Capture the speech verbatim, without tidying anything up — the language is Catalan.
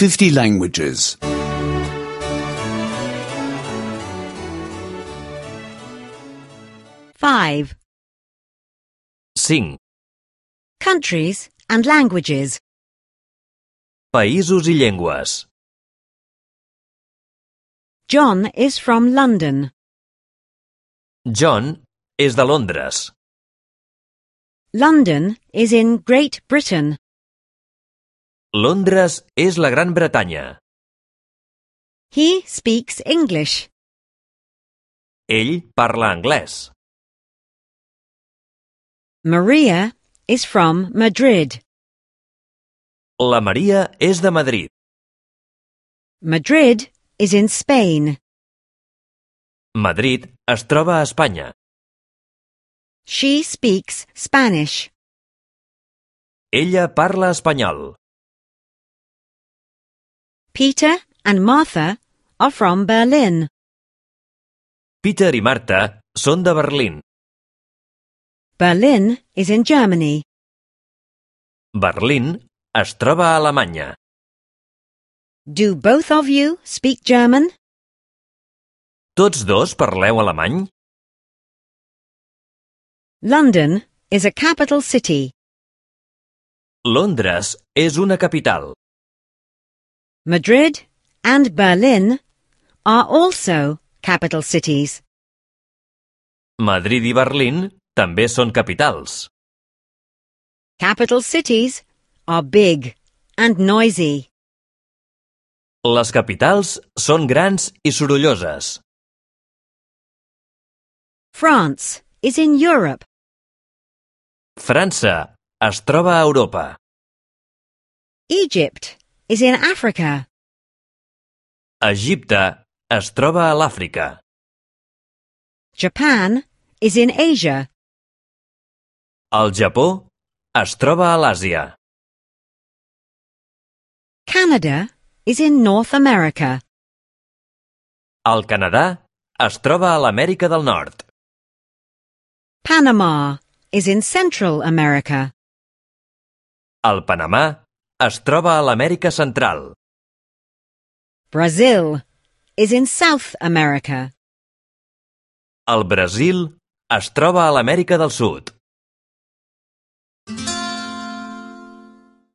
fifty languages. five. cinc. Countries and languages. Països i llengües. John is from London. John és de Londres. London is in Great Britain. Londres és la Gran Bretanya. He speaks English. Ell parla anglès. Maria is from Madrid. La Maria és de Madrid. Madrid is in Spain. Madrid es troba a Espanya. She speaks Spanish. Ella parla espanyol. Peter and Martha are from Berlin. Peter i Marta són de Berlín. Berlin is in Germany. Berlín es troba a Alemanya. Do both of you speak German? Tots dos parleu alemany? London is a capital city. Londres és una capital. Madrid and Berlin are also capital cities. Madrid i Berlín també són capitals. Capital cities are big and noisy. Les capitals són grans i sorolloses. France is in Europe. França es troba a Europa. Egypt is in Africa. Egipte es troba a l'Àfrica. Japan is in Asia. El Japó es troba a l'Àsia. Canada is in North America. El Canadà es troba a l'Amèrica del Nord. Panama is in Central America. El Panamà es troba a l'Amèrica Central. Brazil is in South America. El Brasil es troba a l'Amèrica del Sud.